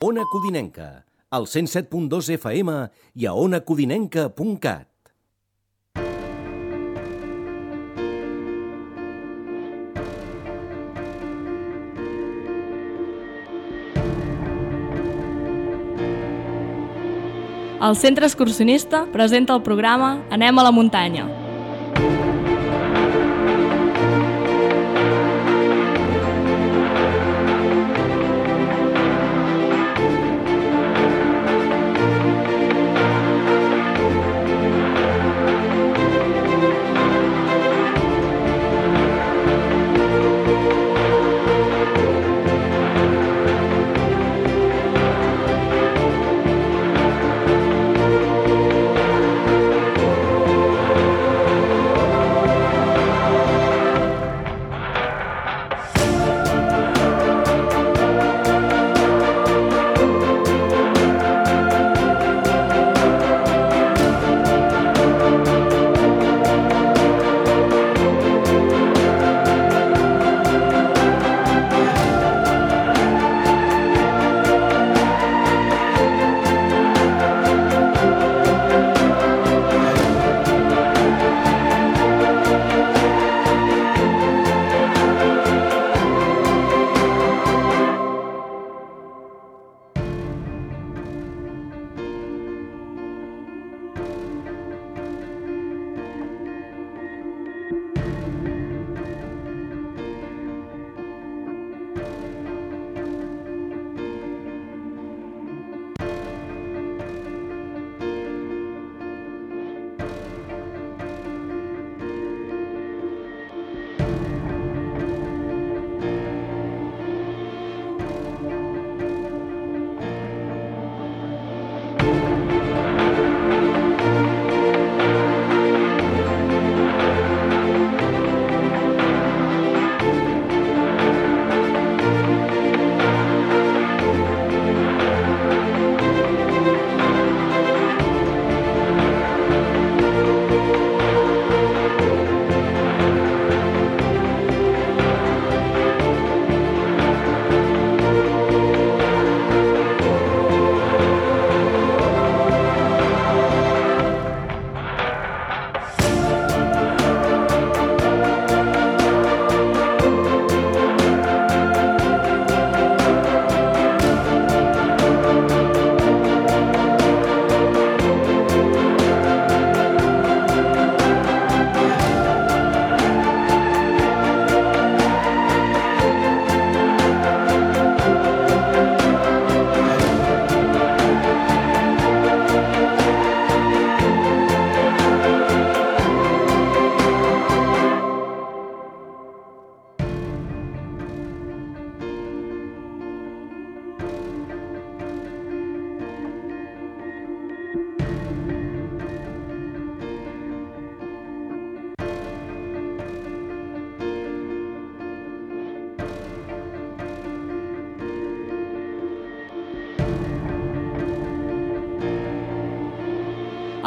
Ona Codinenca, al 107.2 FM i a onacodinenca.cat. El Centre Excursionista presenta el programa Anem a la muntanya.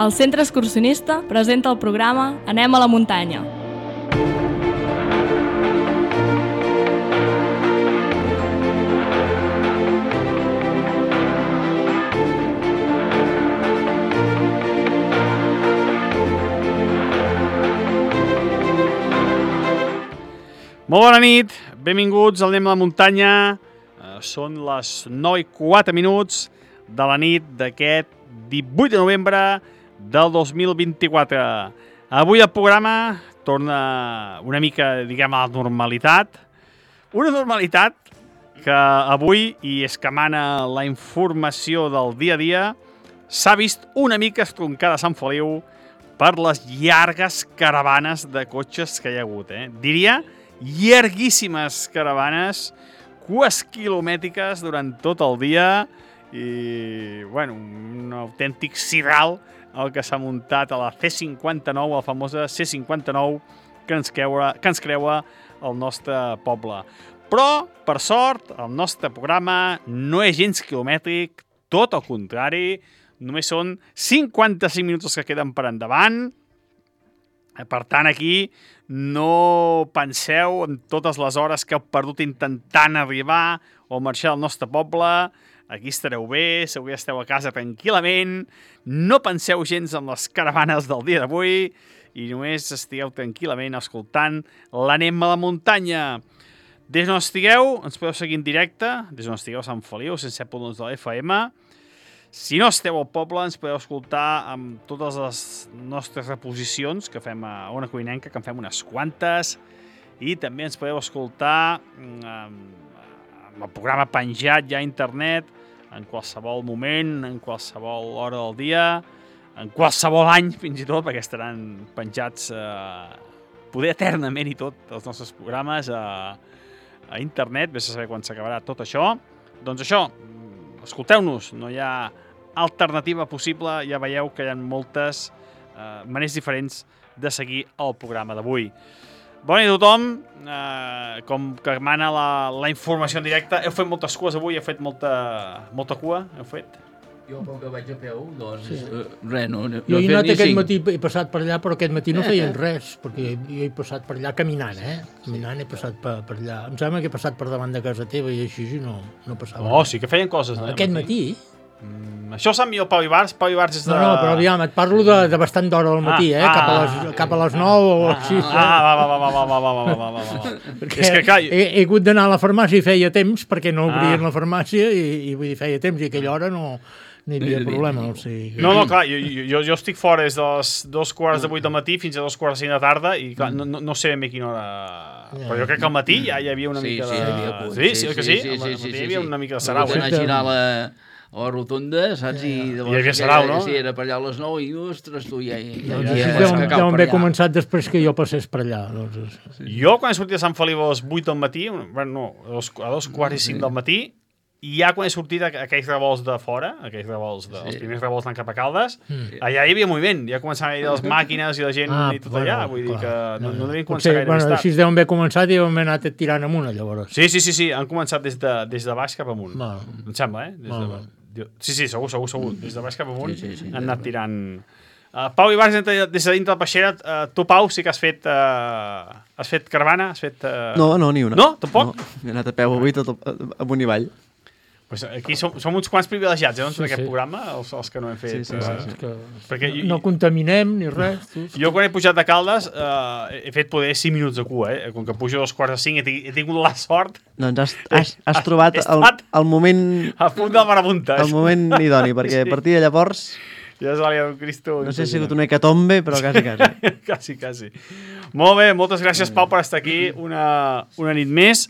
El Centre Excursionista presenta el programa Anem a la muntanya. Molt bona nit, benvinguts al Anem a la muntanya. Són les 9:04 de la nit d'aquest 18 de novembre del 2024. Avui el programa torna una mica, diguem, a la normalitat. Una normalitat que avui, i és que mana la informació del dia a dia, s'ha vist una mica estroncada a Sant Feliu per les llargues caravanes de cotxes que hi ha hagut. Diria llarguíssimes caravanes, cues quilomètriques durant tot el dia i, bueno, un autèntic sidral el que s'ha muntat a la C59, la famosa C59 que ens creua el nostre poble. Però, per sort, el nostre programa no és gens quilomètric, tot el contrari, només són 55 minuts que queden per endavant. Per tant, aquí no penseu en totes les hores que heu perdut intentant arribar o marxar del nostre poble. aquí estareu bé, segur que esteu a casa tranquil·lament, no penseu gens en les caravanes del dia d'avui i només estigueu tranquil·lament escoltant l'Anem a la muntanya. Des d'on estigueu, ens podeu seguir en directe, des d'on estigueu a Sant Feliu, 107.2 de l'FM. Si no esteu al poble, ens podeu escoltar amb totes les nostres reposicions que fem a Ona Codinenca, que en fem unes quantes, i també ens podeu escoltar amb el programa penjat ja a internet, en qualsevol moment, en qualsevol hora del dia, en qualsevol any, fins i tot, perquè estaran penjats poder eternament i tot, els nostres programes a internet, vés a saber quan s'acabarà tot això. Doncs això, escolteu-nos, no hi ha alternativa possible, ja veieu que hi ha moltes maneres diferents de seguir el programa d'avui. Bona nit a tothom, com que mana la informació en directe, heu fet moltes cues avui, heu fet molta cua, heu fet? Jo, com que vaig a peu, doncs, res, no Jo he he fet anat ni aquest cinc. matí, he passat per allà, però aquest matí no feien res, perquè jo he passat per allà caminant, Caminant he passat per allà. Em sembla que he passat per davant de casa teva i així no passava Oh, res. sí que feien coses, no? Aquest matí? Això ho sap millor Pau Ibars. Pau Ibars és de... No, però aviam, et parlo de bastant d'hora al matí, cap a les 9 o així. Va. Perquè És que, clar, he hagut d'anar a la farmàcia i feia temps, perquè no obrien la farmàcia i vull dir, feia temps, i a aquella hora no hi havia problema. O sigui, No, clar, jo estic fora des de les 2:15 del matí fins a 2:45 de la tarda i clar, no sé ben bé quina hora... Però jo crec que al matí ja hi havia una mica de... Sí, hi havia cua. Sí, que sí? Al matí hi havia una mica de sarau, Vaig anar a girar a la rotonda, saps? I hi havia sarau, no? Sí, era per allà a les 9 i, ostres, tu, ja doncs ja deuen haver començat després que jo passés per allà. Doncs. Jo, quan he sortit de Sant Feliu a les 8 del matí, bueno, no, a 2:45 del matí, i ja quan he sortit aquells revolts de fora, els primers revolts anant cap a Caldes, allà hi havia moviment, ja començaven a ir les màquines i la gent i tot allà, vull dir que no devien començar gaire més tard. Així deuen haver començat i deuen haver anat tirant amunt, llavors. Sí, han començat des de baix cap amunt. Val. Em sembla, Sí, segur. Des de baix cap amunt han anat tirant... Pau Ibars, des de dintre de Peixera, tu, Pau, sí que has fet caravana? Has fet... No, ni una. No? Tampoc? No. He anat a peu avui tot amunt i avall. Pues aquí som uns quants privilegiats, doncs, en aquest programa, els que no hem fet... Sí. Perquè no contaminem ni res. Jo quan he pujat de Caldes he fet poder 5 minuts de cua, Com que pujo a 2:45 he tingut la sort... Doncs has trobat el moment... A punt del marabunta. El moment idoni, perquè a partir de llavors... Ja és l'àlia del Cristo. No sé si ha sigut una hecatombe, però quasi. Quasi. Molt bé, moltes gràcies, Pau, per estar aquí una nit més.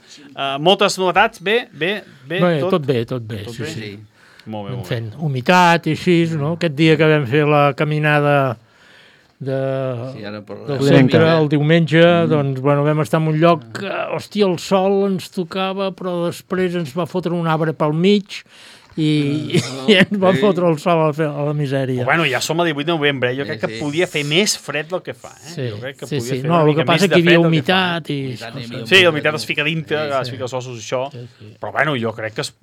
Moltes novetats, bé? Tot bé. Sí. Molt bé. Fent humitat i així, no? Aquest dia que vam fer la caminada del centre, el diumenge, doncs, bueno, vam estar en un lloc que, hòstia, el sol ens tocava, però després ens va fotre un arbre pel mig i ens va fotre el sol a la misèria. Bueno, ja som a 18 de novembre, jo crec que podia fer més fred del que fa. Jo crec que podia fer no, el que passa és que hi havia humitat i... Sí, la humitat es fica dintre, es fica els ossos, això. Però bueno, jo crec que es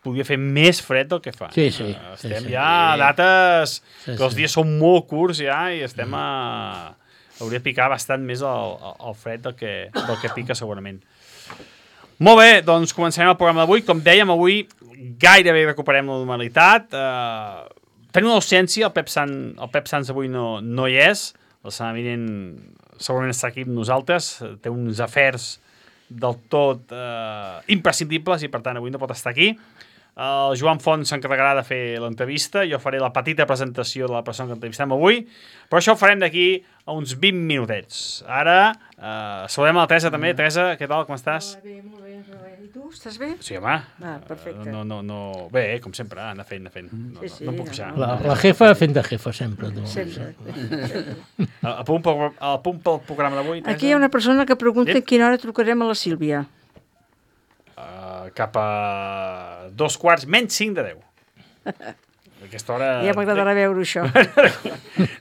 podia fer més fred del que fa. Sí. Estem ja a dates que els dies són molt curts ja i estem a... Hauria de picar bastant més el fred del que pica segurament. Molt bé, doncs començarem el programa d'avui. Com dèiem, avui gairebé recuperem la normalitat. Tenim una ausència, el Pep Sans avui no hi és. La setmana vinent segurament està aquí amb nosaltres. Té uns afers del tot imprescindibles i per tant avui no pot estar aquí. El Joan Font s'encarregarà de fer l'entrevista, jo faré la petita presentació de la persona que entrevistem avui, però això ho farem d'aquí a uns 20 minutets. Ara saludem a la Teresa també. Teresa, què tal, com estàs? Molt bé. I tu, estàs bé? Sí, home. Perfecte. No. Bé, com sempre, anar fent. No em puc queixar. La jefa fent de jefa, sempre. Sempre. A punt pel programa d'avui, Teresa? Aquí hi ha una persona que pregunta a quina hora trucarem a la Sílvia. Cap a 2:15, menys 5 de 10. Aquesta hora... Ja m'agradarà veure això.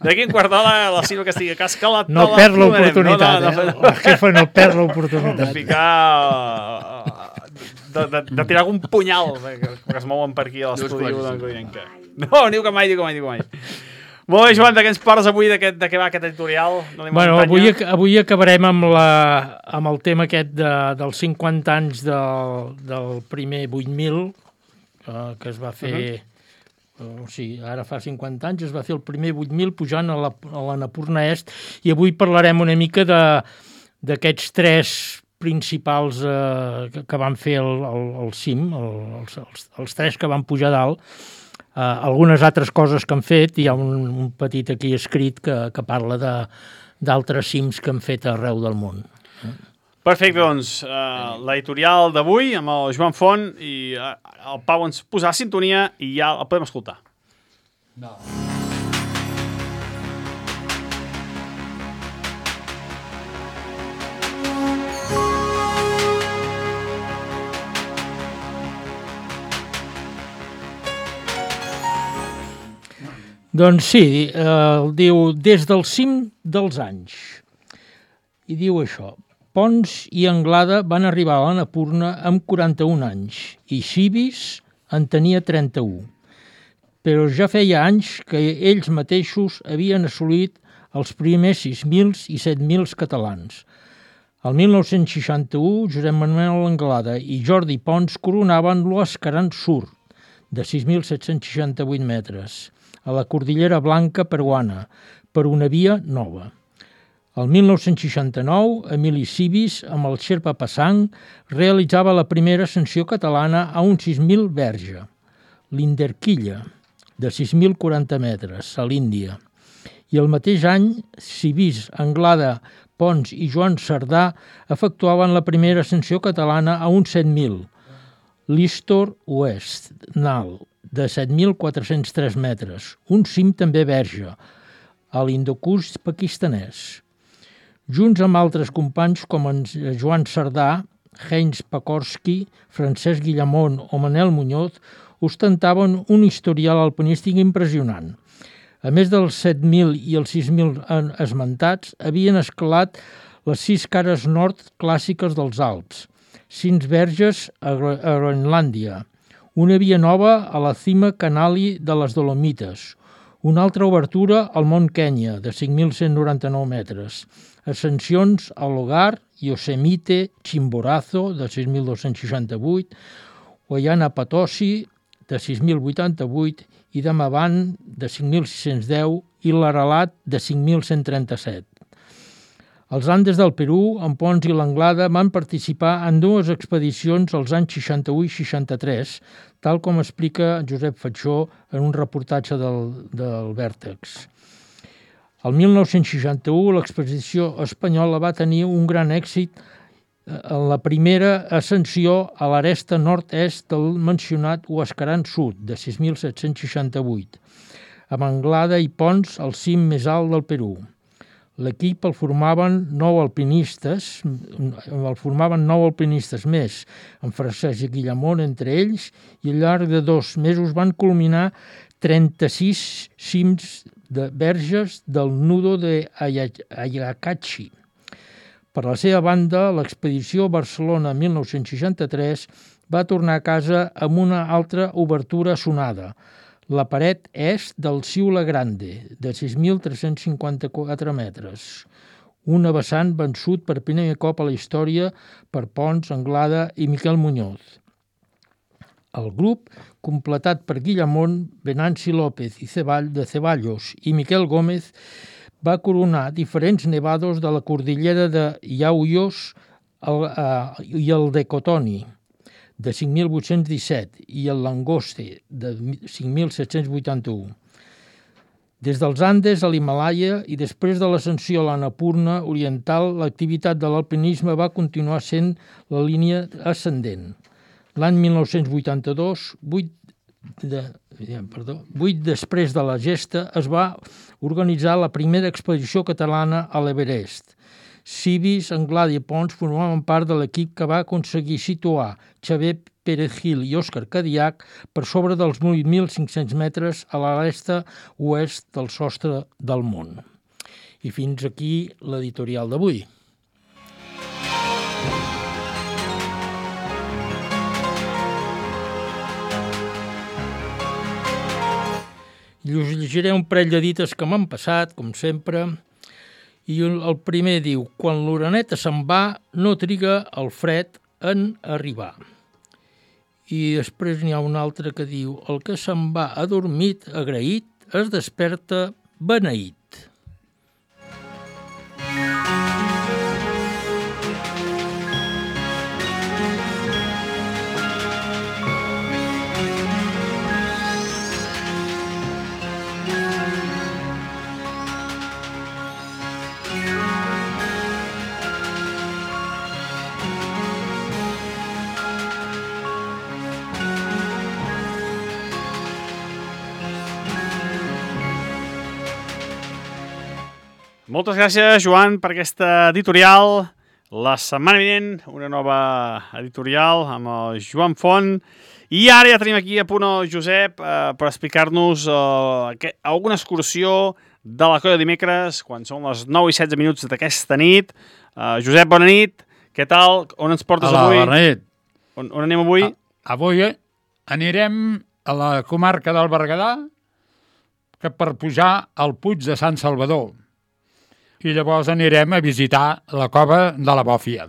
D'aquí un quart d'hora la Sílvia que estigui a casa, que no perd l'oportunitat, La jefa no perd l'oportunitat. De ficar... De tirar algun punyal que es mouen per aquí a l'estudi d'en Codinenca. No, diu que mai. Molt bé, Joan, de què ens parles avui, de què va aquest editorial? Bueno, avui acabarem amb el tema aquest dels 50 anys del primer 8.000, que es va fer... O sigui, ara fa 50 anys es va fer el primer 8.000 pujant a l'Annapurna Est, i avui parlarem una mica d'aquests 3 principals que van fer el cim, els 3 que van pujar dalt. Algunes altres coses que han fet, hi ha un petit aquí escrit que parla d'altres cims que han fet arreu del món. Perfecte, doncs, l'editorial d'avui amb el Joan Font, i el Pau ens posarà sintonia i ja el podem escoltar. No. Doncs sí, diu des del cim dels anys. I diu això: Pons i Anglada van arribar a l'Annapurna amb 41 anys i Cibis en tenia 31. Però ja feia anys que ells mateixos havien assolit els primers 6.000 i 7.000 catalans. El 1961, Josep Manuel Anglada i Jordi Pons coronaven l'Escaran Sur, de 6.768 metres, a la Cordillera Blanca peruana, per una via nova. El 1969, Emili Cibis, amb el Xerpa Passang, realitzava la primera ascensió catalana a un 6.000 verge, l'Inderquilla, de 6.040 metres, a l'Índia. I el mateix any, Cibis, Anglada, Pons i Joan Sardà efectuaven la primera ascensió catalana a un 7.000, l'Istor Oest, Nal, de 7.403 metres, un cim també verge, a l'Hindukush pakistanès. Junts amb altres companys com en Joan Sardà, Heinz Pakorski, Francesc Guillamont o Manel Muñoz, ostentaven un historial alpinístic impressionant. A més dels 7.000 i els 6.000 esmentats, havien escalat les 6 cares nord clàssiques dels Alps, 5 verges a Groenlàndia, una via nova a la cima Canali de les Dolomites, una altra obertura al Mont Kenya, de 5.199 metres, ascensions a Logar, Yosemite, Chimborazo, de 6.268, Ollana Potosi, de 6.088, i Damavand, de 5.610, i l'Aralat, de 5.137. Els Andes del Perú, en Pons i l'Anglada, van participar en 2 expedicions als anys 61 i 63, tal com explica Josep Fatxó en un reportatge del Vèrtex. El 1961 l'expedició espanyola va tenir un gran èxit en la primera ascensió a l'aresta nord-est del mencionat Huascarán Sud, de 6.768, amb Anglada i Pons al cim més alt del Perú. L'equip el formaven 9 alpinistes més, amb Francesc Guillamont entre ells, i al llarg de 2 mesos van culminar 36 cims de verges del nudo de Ayacachi. Per la seva banda, l'expedició Barcelona 1963 va tornar a casa amb una altra obertura sonada, la paret est del Ciula Grande, de 6.354 metres, una vessant vençut per primer cop a la història per Pons, Anglada i Miquel Muñoz. El grup, completat per Guillamont, Venanci López de Ceballos i Miquel Gómez, va coronar diferents nevados de la cordillera de Yauyos i el de Cotoni, de 5.817, i el Langoste, de 5.781. Des dels Andes a l'Himàlaia i després de l'ascensió a l'Annapurna oriental, l'activitat de l'alpinisme va continuar sent la línia ascendent. L'any 1982, 8 després de la gesta, es va organitzar la primera expedició catalana a l'Everest. Cibis, Anglada i Pons formaven part de l'equip que va aconseguir situar Xavier Pérez Gil i Òscar Cadillac per sobre dels 8.500 metres a l'aresta oest del sostre del món. I fins aquí l'editorial d'avui. I us llegiré un parell de dites que m'han passat, com sempre, i el primer diu: quan l'oreneta se'n va, no triga el fred en arribar. i després n'hi ha un altre que diu el que se'n va adormit, agraït, es desperta beneït. Moltes gràcies, Joan, per aquesta editorial. La setmana vinent, una nova editorial amb el Joan Font. I ara ja tenim aquí a punt el Josep per explicar-nos alguna excursió de la Colla dimecres, quan són les 9 i 16 minuts d'aquesta nit. Josep, bona nit. Què tal? On ens portes avui? Bona nit. On anem avui? Avui anirem a la comarca del Berguedà per pujar al Puig de Sant Salvador. I llavors anirem a visitar la cova de la Bòfia.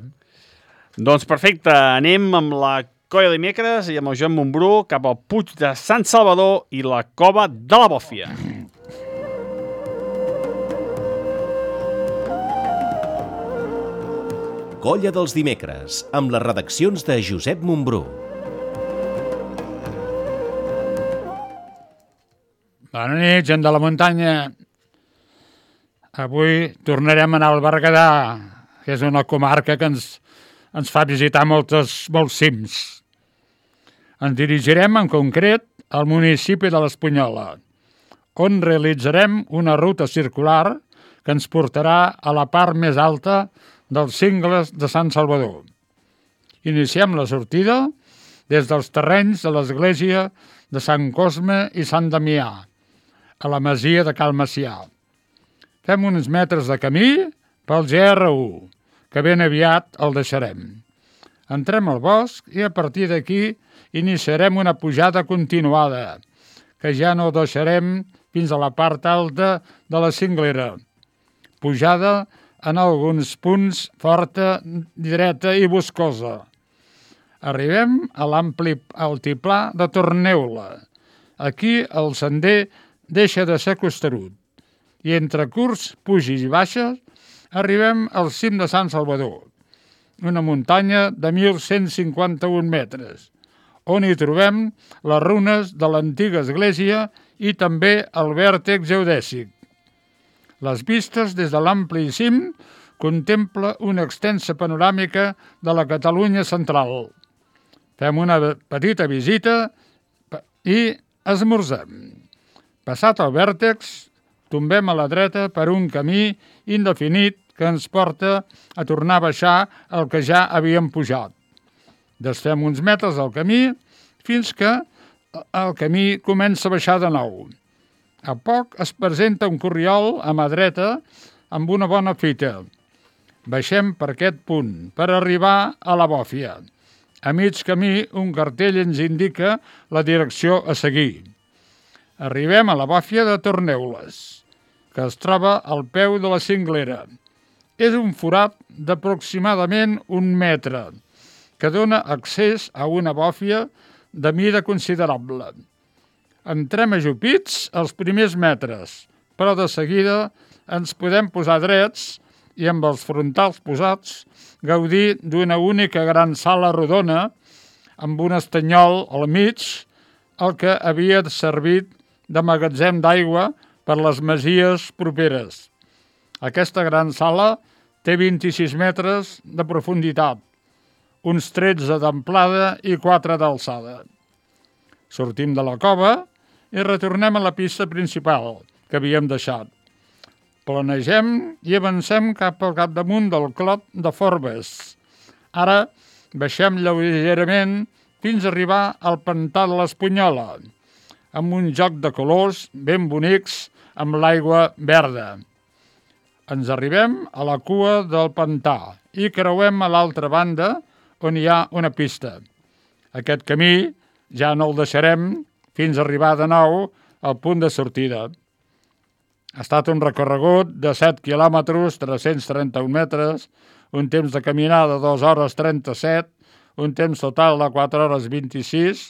Doncs perfecte, anem amb la Colla dimecres i amb el Joan Montbrú cap al Puig de Sant Salvador i la cova de la Bòfia. Colla dels dimecres, amb les redaccions de Josep Montbrú. Bona nit, gent de la muntanya. Avui tornarem a anar al Berguedà, que és una comarca que ens fa visitar molts cims. Ens dirigirem en concret al municipi de l'Espunyola, on realitzarem una ruta circular que ens portarà a la part més alta dels cingles de Sant Salvador. Iniciem la sortida des dels terrenys de l'església de Sant Cosme i Sant Damià, a la masia de Cal Macià. Fem uns metres de camí pel GR1, que ben aviat el deixarem. Entrem al bosc i a partir d'aquí iniciarem una pujada continuada, que ja no deixarem fins a la part alta de la cinglera. Pujada en alguns punts forta, dreta i boscosa. Arribem a l'ampli altiplà de Torneula. Aquí el sender deixa de ser costerut. I entre curts, pujis i baixes, arribem al cim de Sant Salvador, una muntanya de 1.151 metres, on hi trobem les runes de l'antiga església i també el vèrtex geodèsic. Les vistes des de l'ampli cim contempla una extensa panoràmica de la Catalunya central. Fem una petita visita i esmorzem. Passat el vèrtex, tombem a la dreta per un camí indefinit que ens porta a tornar a baixar el que ja havíem pujat. Desfem uns metres del camí fins que el camí comença a baixar de nou. A poc es presenta un corriol a mà dreta amb una bona fita. Baixem per aquest punt per arribar a la Bòfia. A mig camí un cartell ens indica la direcció a seguir. Arribem a la Bòfia de Torneules, que es troba al peu de la cinglera. És un forat d'aproximadament 1 metre, que dona accés a una bòfia de mida considerable. Entrem ajupits els primers metres, però de seguida ens podem posar drets i amb els frontals posats gaudir d'una única gran sala rodona amb un estanyol al mig, el que havia servit de magatzem d'aigua per les masies properes. Aquesta gran sala té 26 metres de profunditat, uns 13 d'amplada i 4 d'alçada. Sortim de la cova i retornem a la pista principal que havíem deixat. Planegem i avancem cap al capdamunt del Clot de Forbes. Ara baixem lleugerament fins a arribar al pantà de l'Espunyola, amb un joc de colors ben bonics amb l'aigua verda. Ens arribem a la cua del pantà i creuem a l'altra banda on hi ha una pista. Aquest camí ja no el deixarem fins a arribar de nou al punt de sortida. Ha estat un recorregut de 7 quilòmetres, 331 metres, un temps de caminada de 2 hores 37, un temps total de 4 hores 26,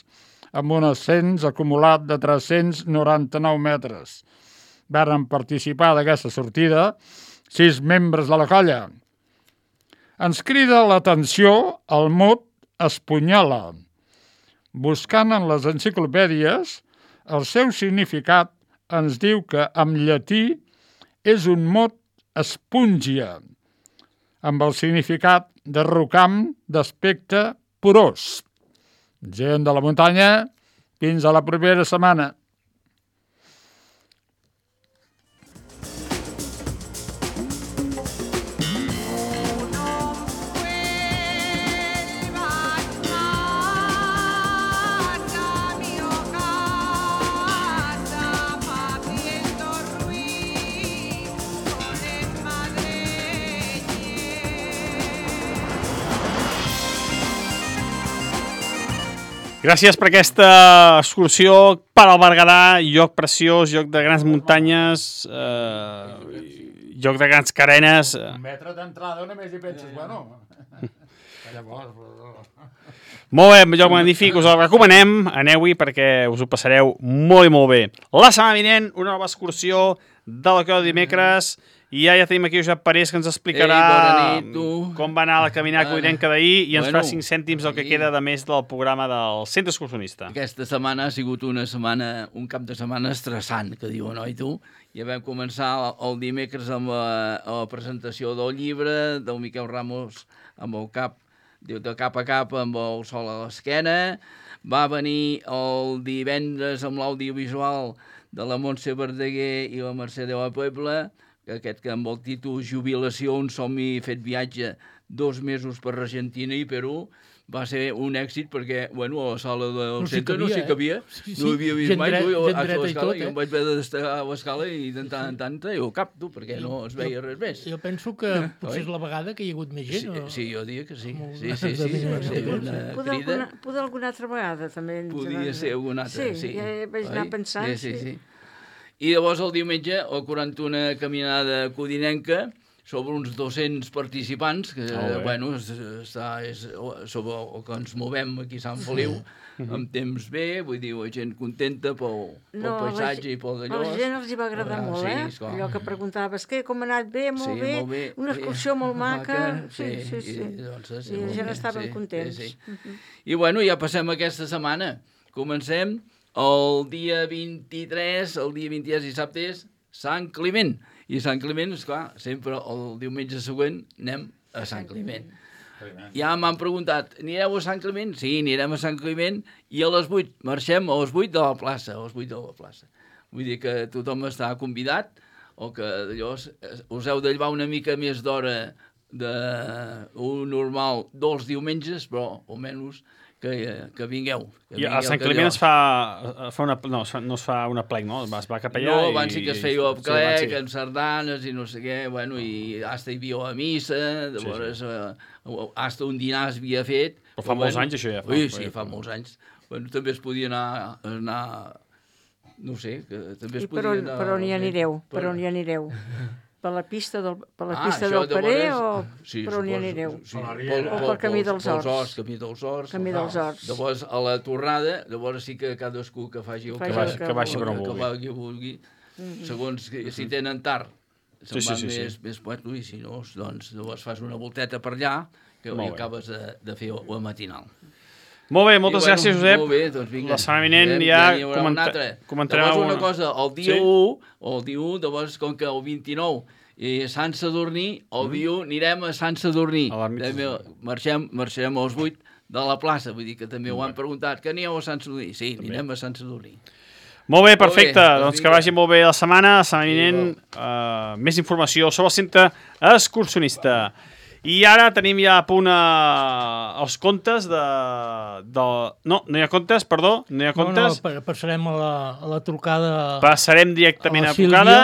amb un ascens acumulat de 399 metres. Varen participar d'aquesta sortida 6 membres de la colla. Ens crida l'atenció el mot espunyola. Buscant en les enciclopèdies, el seu significat ens diu que en llatí és un mot espúngia, amb el significat de rocam d'aspecte porós. Gent de la muntanya, fins a la propera setmana. Gràcies per aquesta excursió per al Berguedà, lloc preciós, lloc de grans muntanyes, lloc de grans carenes. Un metre d'entrada només hi penses, bueno... Molt bé, lloc magnífic, us el recomanem, aneu-hi perquè us ho passareu molt i molt bé. La setmana vinent, una nova excursió de la Creu de dimecres, i ja tenim aquí Josep Parés que ens explicarà com va anar la caminada codinenca d'ahir i ens farà 5 cèntims el que queda de més del programa del Centre Excursionista. Aquesta setmana ha sigut una setmana, un cap de setmana estressant, que diuen, oi tu? Ja vam començar el dimecres amb la presentació del llibre del Miquel Ramos amb el cap, de cap a cap amb el sol a l'esquena. Va venir el divendres amb l'audiovisual de la Montse Verdaguer i la Mercè de la Puebla, aquest que amb el títol Jubilació, un somni fet viatge 2 mesos per Argentina i Perú, va ser un èxit perquè, bueno, a la sala del centre no s'hi cabia, no havia vist mai, jo em vaig haver d'estar a l'escala i de tant en tant treia el cap, tu, perquè no es veia res més. Jo penso que potser és la vegada que hi ha hagut més gent. Sí, jo diria que sí. Sí, una crida. Poder alguna altra vegada, també. Podia ser alguna altra, sí. Sí, ja vaig anar pensant. Sí. I llavors el diumenge, el 41 caminada codinenca, sobre uns 200 participants, que, bueno, és sobre el que ens movem aquí a Sant Feliu, amb temps bé, vull dir, gent contenta pel paisatge i pel d'allò. A la gent els hi va agradar molt, allò que preguntaves, com ha anat bé, molt bé, una excursió molt maca. Sí. I la gent estaven contents. I, bueno, ja passem aquesta setmana. Comencem el dia 23, dissabte és Sant Climent. I Sant Climent, esclar, sempre el diumenge següent anem a Sant Climent. Ja m'han preguntat, anireu a Sant Climent? Sí, anirem a Sant Climent i a les 8, marxem a les 8 de la plaça, Vull dir que tothom està convidat, o que allò us heu de llevar una mica més d'hora d'un normal dels diumenges, però almenys que vingueu. I a Sant Climent es fa una... No es fa una plec, no? Es va cap allà i... No, abans sí que es feia el plec, amb sardanes i no sé què, bueno, i hasta hi havia la missa, llavors hasta un dinar es havia fet. Però fa molts anys això ja fa. Sí, fa molts anys. Bueno, també es podia anar... No sé, que també es podia anar... Per on hi anireu? Per on hi anireu? Per la pista del Parer o per on hi anireu? O pel Camí dels Horts? Camí dels Horts. Llavors, a la tornada, llavors sí que cadascú que faci el que baixi per on vulgui. Segons si tenen tard, se'n va més puerto, i si no, doncs llavors fas una volteta per allà que acabes de fer la matinal. Molt bé, moltes gràcies, Josep. Molt bé, doncs vinga. La setmana vinent ja comentarem alguna cosa. El dia 1, llavors, com que el 29 Sant Sadurní, el dia 1 anirem a Sant Sadurní. Marxarem als 8 de la plaça, vull dir que també ho han preguntat. Que anireu a Sant Sadurní? Sí, anirem a Sant Sadurní. Molt bé, perfecte. Doncs que vagi molt bé la setmana vinent. Més informació sobre el Centre Excursionista. I ara tenim ja a punt els comptes de... No hi ha comptes, perdó, no hi ha comptes. No, passarem a la trucada... Passarem directament a la trucada,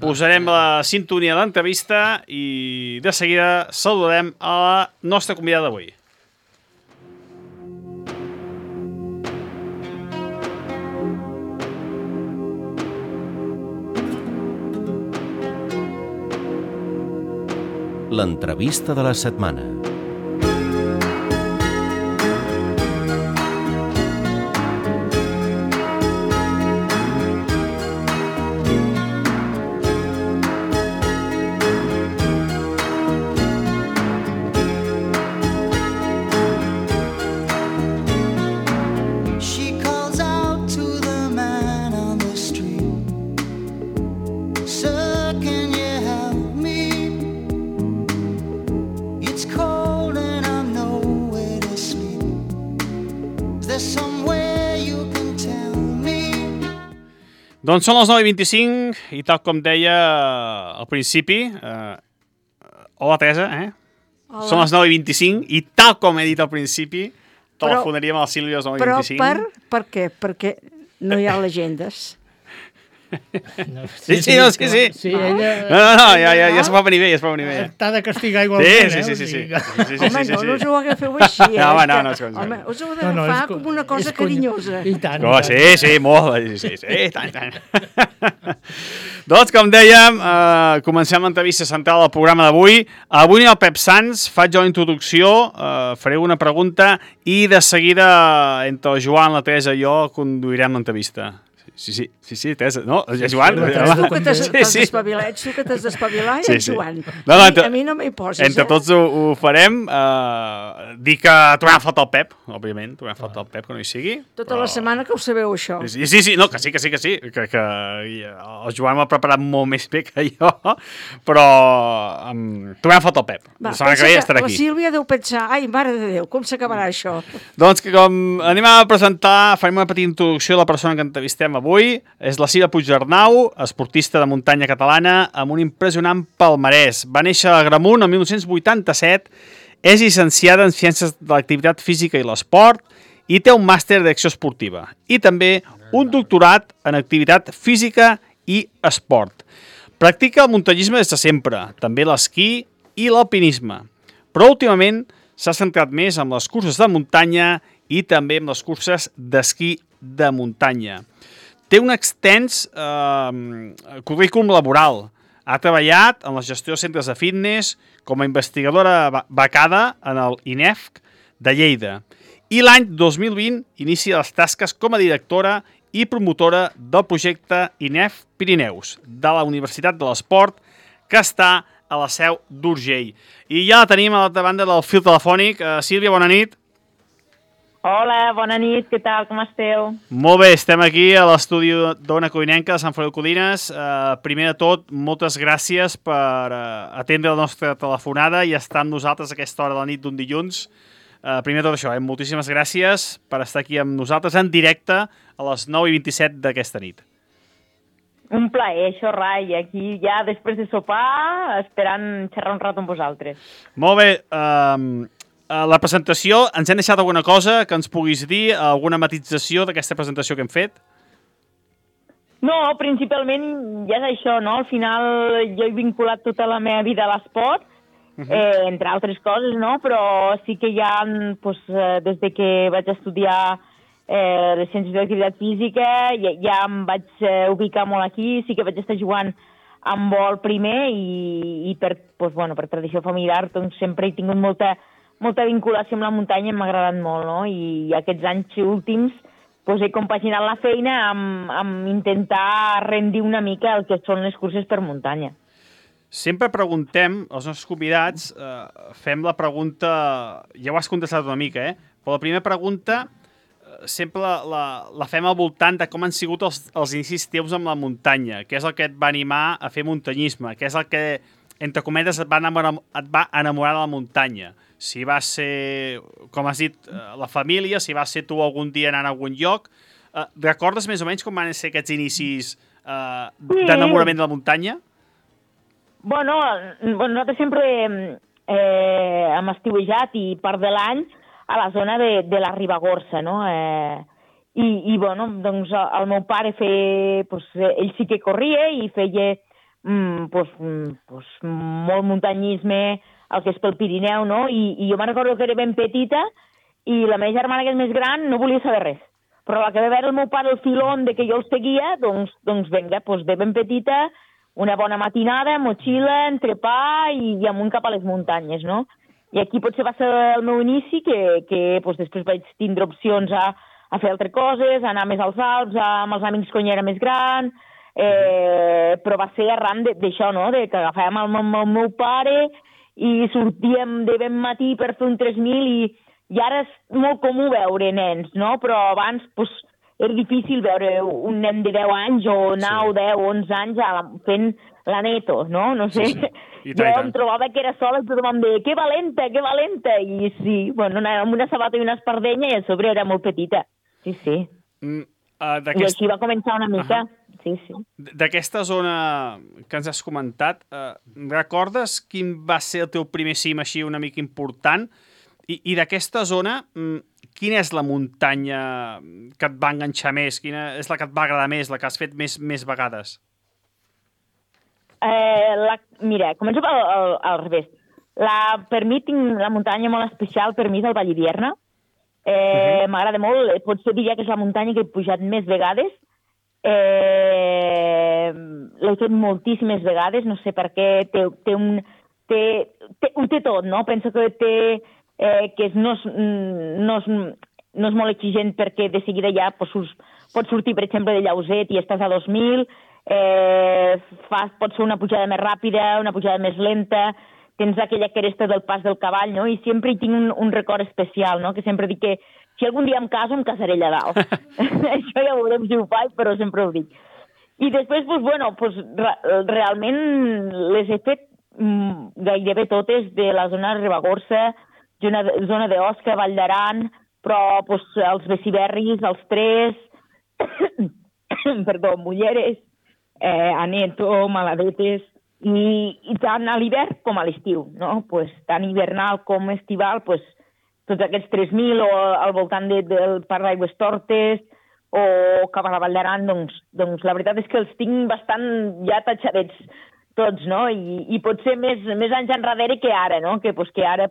posarem la sintonia d'entrevista i de seguida saludarem a la nostra convidada d'avui. L'entrevista de la setmana. Doncs són les 9:25 i tal com deia al principi, hola Teresa, Hola. Són les 9:25 i tal com he dit al principi, telefonaríem a la Sílvia a les 9:25. Però per què? Perquè no hi ha legendes. Sí. Sí, ella... No, ja es va venir bé, T'ha de castigar igualment, Sí. Home, no us ho hagueu així, No, home, us ho heu de fer com una cosa carinyosa. I tant. Sí, molt, sí, tant. Doncs, com dèiem, comencem l'entrevista central del programa d'avui. Avui el Pep Sans, faig jo la introducció, faré una pregunta i de seguida entre el Joan, la Teresa i jo conduirem l'entrevista. Sí, Teresa, no? Joan? Tu que t'has d'espavilar i el Joan. A mi no m'hi poses, Entre tots ho farem. Dir que trobem a faltar el Pep, òbviament, trobem a faltar el Pep, que no hi sigui. Tota la setmana que ho sabeu, això. Sí, no, que sí. Que el Joan m'ha preparat molt més bé que jo, però trobem a faltar el Pep. La setmana que ve estarà aquí. La Sílvia deu pensar, ai, mare de Déu, com s'acabarà això? Doncs que com anem a presentar, farem una petita introducció de la persona que entrevistem avui. És la Sílvia Puigdernau, esportista de muntanya catalana, amb un impressionant palmarès. Va néixer a Agramunt el 1987, és llicenciada en Ciències de l'Activitat Física i l'Esport i té un màster d'acció esportiva i també un doctorat en Activitat Física i Esport. Practica el muntanyisme des de sempre, també l'esquí i l'alpinisme, però últimament s'ha centrat més en les curses de muntanya i també en les curses d'esquí de muntanya. Té un extens currículum laboral. Ha treballat en la gestió de centres de fitness com a investigadora becada en el INEFC de Lleida. I l'any 2020 inicia les tasques com a directora i promotora del projecte INEFC Pirineus de la Universitat de l'Esport, que està a la seu d'Urgell. I ja la tenim a l'altra banda del fil telefònic. Sílvia, bona nit. Hola, bona nit, què tal, com esteu? Molt bé, estem aquí a l'estudi d'Ona Codinenca de Sant Feliu de Codines. Primer de tot, moltes gràcies per atendre la nostra telefonada i estar amb nosaltres a aquesta hora de la nit d'un dilluns. Primer de tot això, moltíssimes gràcies per estar aquí amb nosaltres en directe a les 9:27 d'aquesta nit. Un plaer, això, Rai, aquí ja després de sopar, esperant xerrar un rato amb vosaltres. Molt bé, la presentació, ens hem deixat alguna cosa que ens puguis dir, alguna matització d'aquesta presentació que hem fet? No, principalment ja és això, no? Al final jo he vinculat tota la meva vida a l'esport, entre altres coses, no? Però sí que ja, des de que vaig estudiar les ciències de l'activitat física, ja em vaig ubicar molt aquí, sí que vaig estar jugant amb vol primer i per tradició familiar doncs sempre he tingut molta vinculació amb la muntanya, m'ha agradat molt, no? I aquests anys últims he compaginat la feina amb intentar rendir una mica el que són les curses per muntanya. Sempre preguntem, als nostres convidats, fem la pregunta, ja ho has contestat una mica, però la primera pregunta sempre la fem al voltant de com han sigut els inicis teus amb la muntanya, què és el que et va animar a fer muntanyisme, què és el que, entre cometes, et va enamorar de la muntanya. Si va ser, com has dit, la família, si va ser tu algun dia anant a algun lloc. Recordes més o menys com van ser aquests inicis d'enamorament de la muntanya? Bueno, nosaltres sempre hem estiuejat i part de l'any a la zona de la Ribagorça, no? Doncs el meu pare ell sí que corria i feia molt muntanyisme, el que és pel Pirineu, no? I jo me'n recordo que era ben petita i la meva germana, que és més gran, no volia saber res. Però la que va veure el meu pare el filón de que jo el seguia, doncs vinga, de ben petita, una bona matinada, motxilla, entrepà i amunt cap a les muntanyes, no? I aquí potser va ser el meu inici, que després vaig tindre opcions a fer altres coses, a anar més als Alps, amb els amics quan ja era més gran, però va ser arran d'això, no? Que agafàvem el meu pare i sortíem de ben matí per fer un 3.000 i ara és molt comú veure nens, no? Però abans era difícil veure un nen de 10 anys o 9, 10, 11 anys fent la neto, no? No sé. Jo em trobava que era sola i tothom em deia que valenta! I sí, amb una sabata i una espardenya i a sobre era molt petita. Sí. I així va començar una mica. Sí. D'aquesta zona que ens has comentat, recordes quin va ser el teu primer cim així una mica important? I d'aquesta zona, quina és la muntanya que et va enganxar més? Quina és la que et va agradar més, la que has fet més vegades? Mira, començo al revés. Per mi tinc la muntanya molt especial, per mi és el Vallivierna. M'agrada molt, potser diria que és la muntanya que he pujat més vegades. L'he fet moltíssimes vegades, no sé per què, ho té tot, no? Penso que no és molt exigent perquè de seguida ja pots sortir, per exemple, de Llauset i estàs a 2.000, pot ser una pujada més ràpida, una pujada més lenta, tens aquella cresta del pas del cavall, no? I sempre hi tinc un record especial, no? Que sempre dic que si algun dia em caso, em casaré allà dalt. Això ja veurem si ho faig, però sempre ho dic. I després, realment les he fet gairebé totes de la zona de Ribagorça, zona d'Osca, Vall d'Aran, però els Beciberris, els Tres, Mulleres, Aneto, Maladetes, i tant a l'hivern com a l'estiu, no? Tant hivernal com estival, tots aquests 3.000 o al voltant del Parc d'Aigües Tortes o cap a la Vall d'Aran, doncs la veritat és que els tinc bastant ja tatxadets tots, no? I potser més anys enrere que ara, no? Que ara,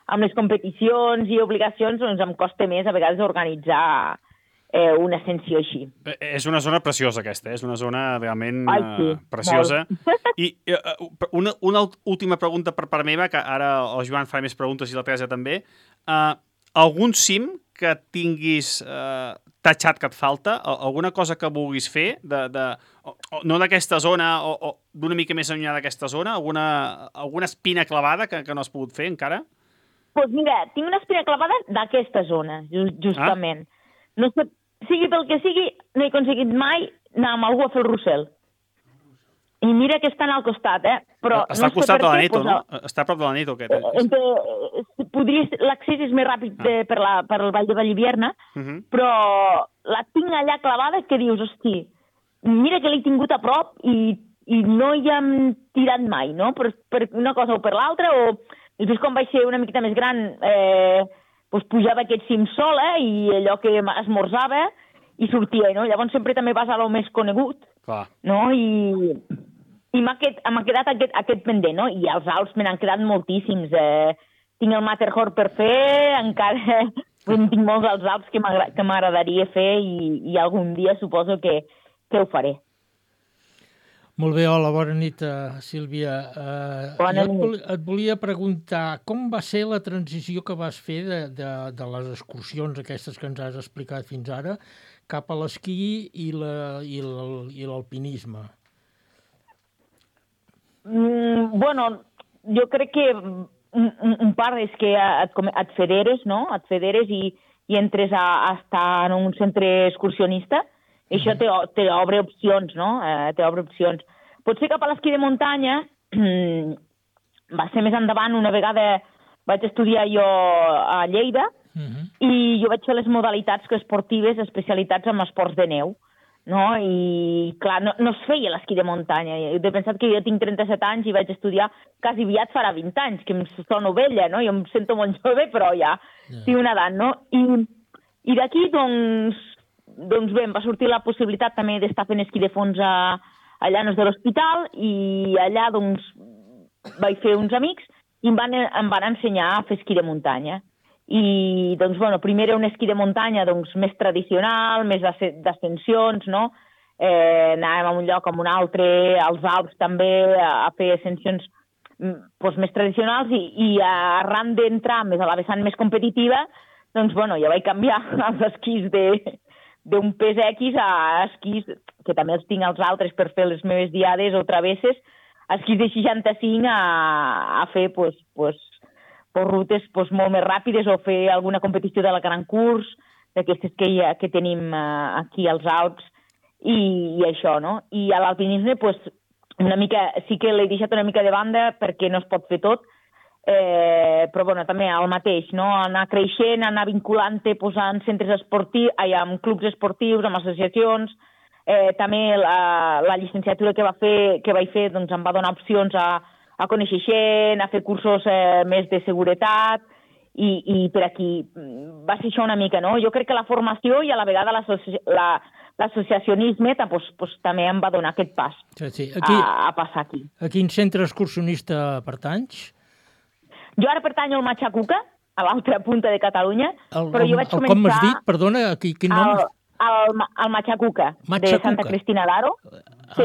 amb les competicions i obligacions, doncs em costa més a vegades organitzar una ascensió així. És una zona preciosa aquesta, és una zona realment preciosa. I una última pregunta per part meva, que ara el Joan farà més preguntes i la Teresa també. Algun cim que tinguis tatxat que et falta? Alguna cosa que vulguis fer? No d'aquesta zona o d'una mica més enllà d'aquesta zona? Alguna espina clavada que no has pogut fer encara? Doncs mira, tinc una espina clavada d'aquesta zona, justament. No sé, sigui pel que sigui, no he aconseguit mai anar amb algú a fer el Rossell. I mira que estan al costat, però està al costat de l'Aneto, no? Està a prop de l'Aneto, aquest. L'accés és més ràpid per el Vall de Vallivierna, però la tinc allà clavada que dius, hosti, mira que l'he tingut a prop i no hi hem tirat mai, no? Per una cosa o per l'altra, o després quan vaig ser una miqueta més gran pujava aquest cim sola i allò que esmorzava i sortia, no? Llavors sempre també vas a lo més conegut, no? I m'ha quedat aquest pendent, no? I els Alps me n'han quedat moltíssims. Tinc el Matterhorn per fer, encara tinc molts als Alps que m'agradaria fer i algun dia suposo que ho faré. Molt bé, hola, bona nit, Sílvia. Et volia preguntar com va ser la transició que vas fer de les excursions aquestes que ens has explicat fins ara cap a l'esquí i l'alpinisme? Jo crec que un part és que et federes, no? Et federes i entres a estar en un centre excursionista. Això t'obre opcions, no? T'obre opcions. Potser cap a l'esquí de muntanya va ser més endavant. Una vegada vaig estudiar jo a Lleida i jo vaig fer les modalitats esportives especialitats en esports de neu, no? I, clar, no es feia l'esquí de muntanya. He pensat que jo tinc 37 anys i vaig estudiar quasi aviat farà 20 anys, que em sono vella, no? Jo em sento molt jove, però ja tinc una edat, no? I d'aquí, doncs bé, em va sortir la possibilitat també d'estar fent esquí de fons a Llanos de l'Hospital i allà doncs vaig fer uns amics i em van ensenyar a fer esquí de muntanya. I doncs, primer era un esquí de muntanya més tradicional, més d'ascensions, no? Anàvem a un lloc a un altre, als Alps també, a fer ascensions més tradicionals i arran d'entrar més a la vessant més competitiva, doncs, ja vaig canviar els esquís d'un pes X a esquís, que també els tinc als altres per fer les meves diades o travesses, esquís de 65 a fer rutes molt més ràpides o fer alguna competició de la Gran Curs, d'aquestes que tenim aquí als Alps, i això, no? I a l'alpinisme, una mica, sí que l'he deixat una mica de banda perquè no es pot fer tot. però bueno, també el mateix, no? Anar creixent, anar vinculant-te en centres esportius, amb clubs esportius, amb associacions. També la llicenciatura que vaig fer doncs, em va donar opcions a conèixer gent, a fer cursos més de seguretat, i per aquí va ser això una mica, no? Jo crec que la formació i a la vegada l'associacionisme també em va donar aquest pas a passar aquí. A quin centre excursionista pertanys? Jo ara pertanyo al Machacuca, a l'altra punta de Catalunya, però jo vaig començar... Com m'has dit? Perdona, quin nom? Al Machacuca, de Santa Cristina d'Aro. Sí.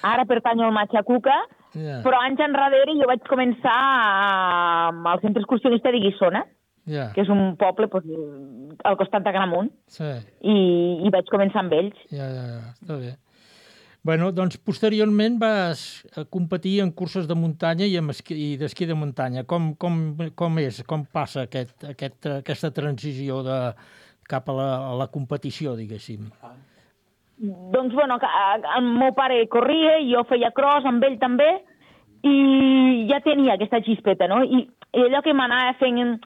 Ara pertanyo al Machacuca, però anys enrere jo vaig començar al centre excursionista de Guissona, que és un poble al costat d'Agramunt, i vaig començar amb ells. Està bé. Bueno, doncs posteriorment vas competir en curses de muntanya i d'esquí de muntanya. Com passa aquesta transició cap a la competició, diguéssim? Doncs, bueno, el meu pare corria i jo feia cross amb ell també, i ja tenia aquesta xispeta, no? I allò que m'anava fent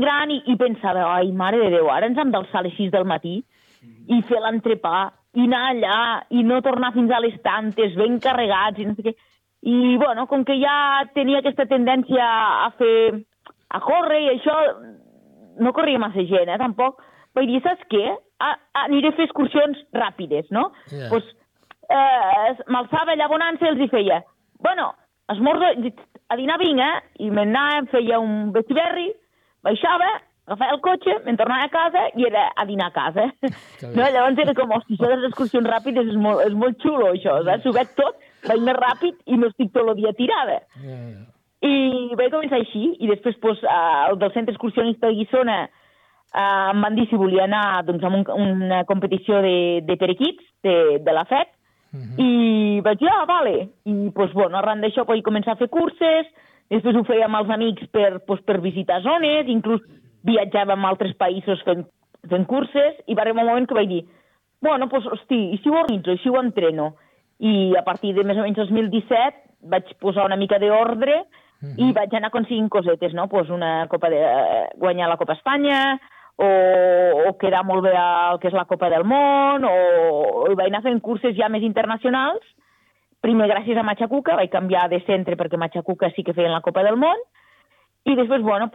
gran i pensava, ai, mare de Déu, ara ens hem d'alçar a les 6 del matí i fer l'entrepà, i anar allà, i no tornar fins a les tantes, ben carregats, i no sé què. I, bueno, com que ja tenia aquesta tendència a córrer i això, no corria massa gent, tampoc. Vaig dir, saps què? Aniré a fer excursions ràpides, no? Doncs m'alçava allà bonança i els hi feia, bueno, esmorzo, a dinar vinc, i m'anava, em feia un vestiberri, baixava, agafava el cotxe, me'n tornava a casa i era a dinar a casa. No? Llavors era com, hosti, això de les excursions ràpides és molt xulo, això. S'ho veig tot, vaig més ràpid i no estic tot el dia tirada. I vaig començar així, i després el del centre excursionista de Guissona em van dir si volia anar a una competició de periquits de la FEC, i vaig dir, vale. I arran d'això vaig començar a fer curses, després ho feia amb els amics per visitar zones, inclús viatjàvem a altres països fent curses, i va arribar un moment que vaig dir, bueno, hosti, i si ho organitzo, i si ho entreno? I a partir de més o menys 2017 vaig posar una mica d'ordre i vaig anar aconseguint cosetes, no? Guanyar la Copa Espanya, o quedar molt bé al que és la Copa del Món, o vaig anar fent curses ja més internacionals. Primer, gràcies a Machacuca, vaig canviar de centre perquè Machacuca sí que feien la Copa del Món, i després, a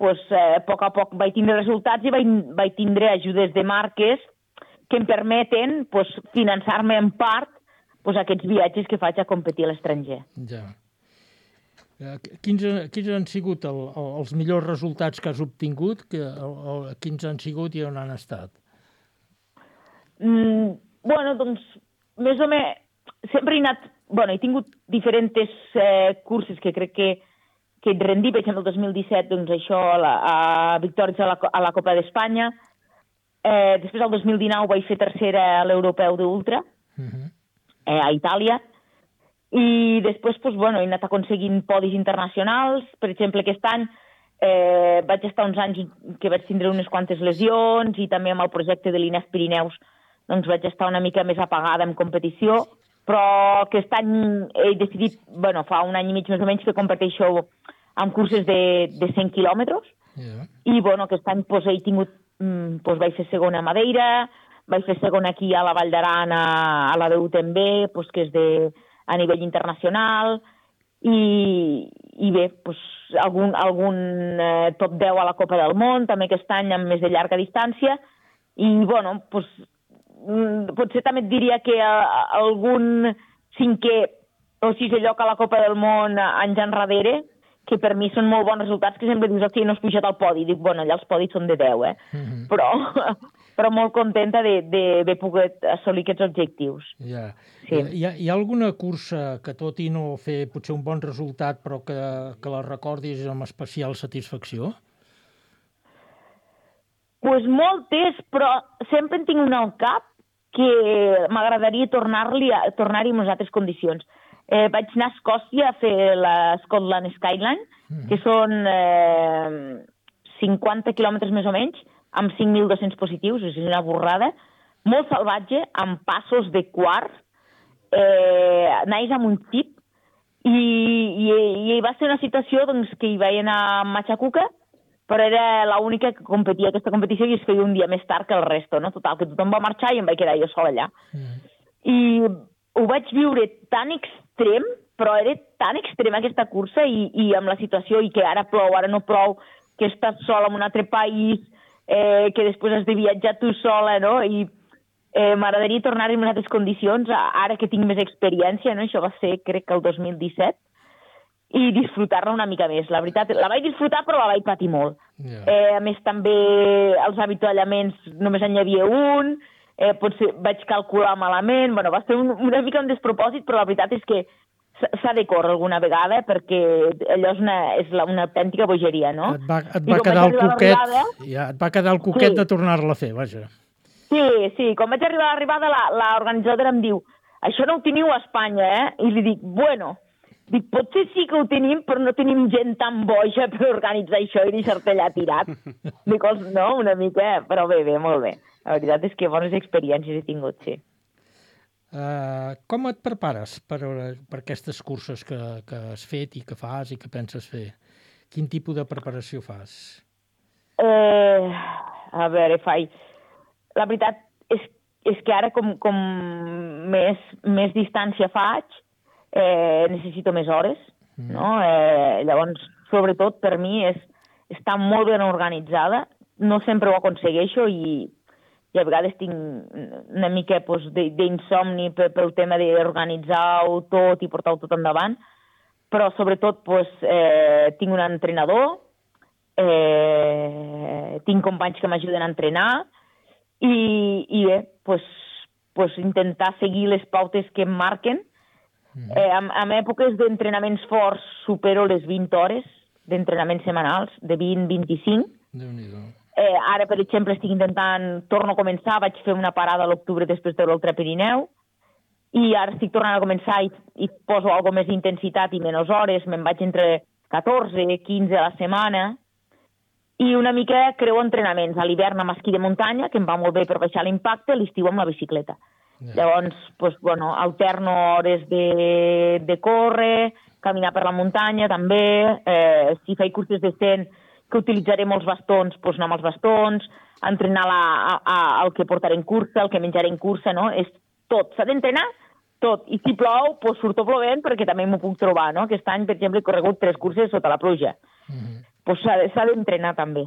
poc a poc vaig tindre resultats i vaig tindre ajudes de marques que em permeten finançar-me en part aquests viatges que faig a competir a l'estranger. Ja. Quins han sigut els millors resultats que has obtingut? Quins han sigut i on han estat? Doncs, més o menys, sempre he anat... he tingut diferents curses que crec que et rendi, per exemple, el 2017, doncs això, a victòries a la Copa d'Espanya. Després, el 2019, vaig fer tercera a l'Europeu d'Ultra, a Itàlia. I després, he anat aconseguint podis internacionals. Per exemple, aquest any vaig estar uns anys que vaig tindre unes quantes lesions, i també amb el projecte de l'INEF Pirineus doncs vaig estar una mica més apagada en competició, però aquest any he decidit, fa un any i mig més o menys, que competeixo amb curses de 100 quilòmetres, i aquest any he tingut, vaig fer segona a Madeira, vaig fer segona aquí a la Vall d'Aran, a la DUTMB, que és a nivell internacional, i bé, algun top 10 a la Copa del Món, també aquest any amb més de llarga distància, i potser també et diria que algun 5è o 6è lloc a la Copa del Món anys enrere, que per mi són molt bons resultats, que sempre dius, hosti, no has pujat al podi. Dic, allà els podis són de 10, però molt contenta d'haver pogut assolir aquests objectius. Hi ha alguna cursa que, tot i no fer potser un bon resultat, però que la recordis amb especial satisfacció? Doncs moltes, però sempre en tinc una al cap que m'agradaria tornar-hi en unes altres condicions. Vaig anar a Escòcia a fer la Scotland Skyline, que són 50 quilòmetres més o menys, amb 5.200 positius, és una borrada, molt salvatge, amb passos de quart, naix amb un tip, I va ser una situació doncs, que hi vaig anar a Machacuca, però era l'única que competia aquesta competició i es feia un dia més tard que el resto, no? Total, que tothom va marxar i em vaig quedar jo sola allà. I ho vaig viure tan extrem, però era tan extrema aquesta cursa i amb la situació i que ara plou, ara no plou, que estàs sola en un altre país, que després has de viatjar tu sola, no? I m'agradaria tornar en altres condicions, ara que tinc més experiència, no? Això va ser, crec que el 2017, i disfrutar-la una mica més. La veritat, la vaig disfrutar, però la vaig patir molt. A més, també els avituallaments només en hi havia un, potser vaig calcular malament, bueno, va ser una mica un despropòsit, però la veritat és que s'ha de córrer alguna vegada perquè allò és una autèntica bogeria, no? Et va quedar el coquet de tornar-la a fer, vaja. Sí, quan vaig arribar a l'arribada, l'organitzadora em diu, això no ho teniu a Espanya, eh? I li dic, bueno, potser sí que ho tenim, però no tenim gent tan boja per organitzar això i deixar-te allà tirat. Dic, no, una mica, però bé, molt bé. La veritat és que bones experiències he tingut, sí. Com et prepares per aquestes curses que has fet i que fas i que penses fer? Quin tipus de preparació fas? A veure, la veritat és que ara com més distància faig, necessito més hores, no? Llavors, sobretot per mi és estar molt ben organitzada, no sempre ho aconsegueixo i a vegades tinc una mica d'insomni pel tema d'organitzar-ho tot i portar-ho tot endavant, però sobretot tinc un entrenador, tinc companys que m'ajuden a entrenar i bé, intentar seguir les pautes que em marquen. En èpoques d'entrenaments forts supero les 20 hores d'entrenaments setmanals, de 20-25. Déu-n'hi-do. Ara, per exemple, estic torno a començar, vaig fer una parada a l'octubre després de l'Ultra Pirineu, i ara estic tornant a començar i poso alguna més intensitat i menys hores, me'n vaig entre 14 i 15 a la setmana, i una mica creo entrenaments. A l'hivern amb esquí de muntanya, que em va molt bé per baixar l'impacte, l'estiu amb la bicicleta. Llavors, alterno hores de córrer, caminar per la muntanya també, si faig curses de 100 que utilitzaré molts bastons, anar amb els bastons, entrenar el que portaré en cursa, el que menjaré en cursa, no? És tot, s'ha d'entrenar tot. I si plou, surto plovent perquè també m'ho puc trobar, no? Aquest any, per exemple, he corregut 3 curses sota la pluja. S'ha d'entrenar també.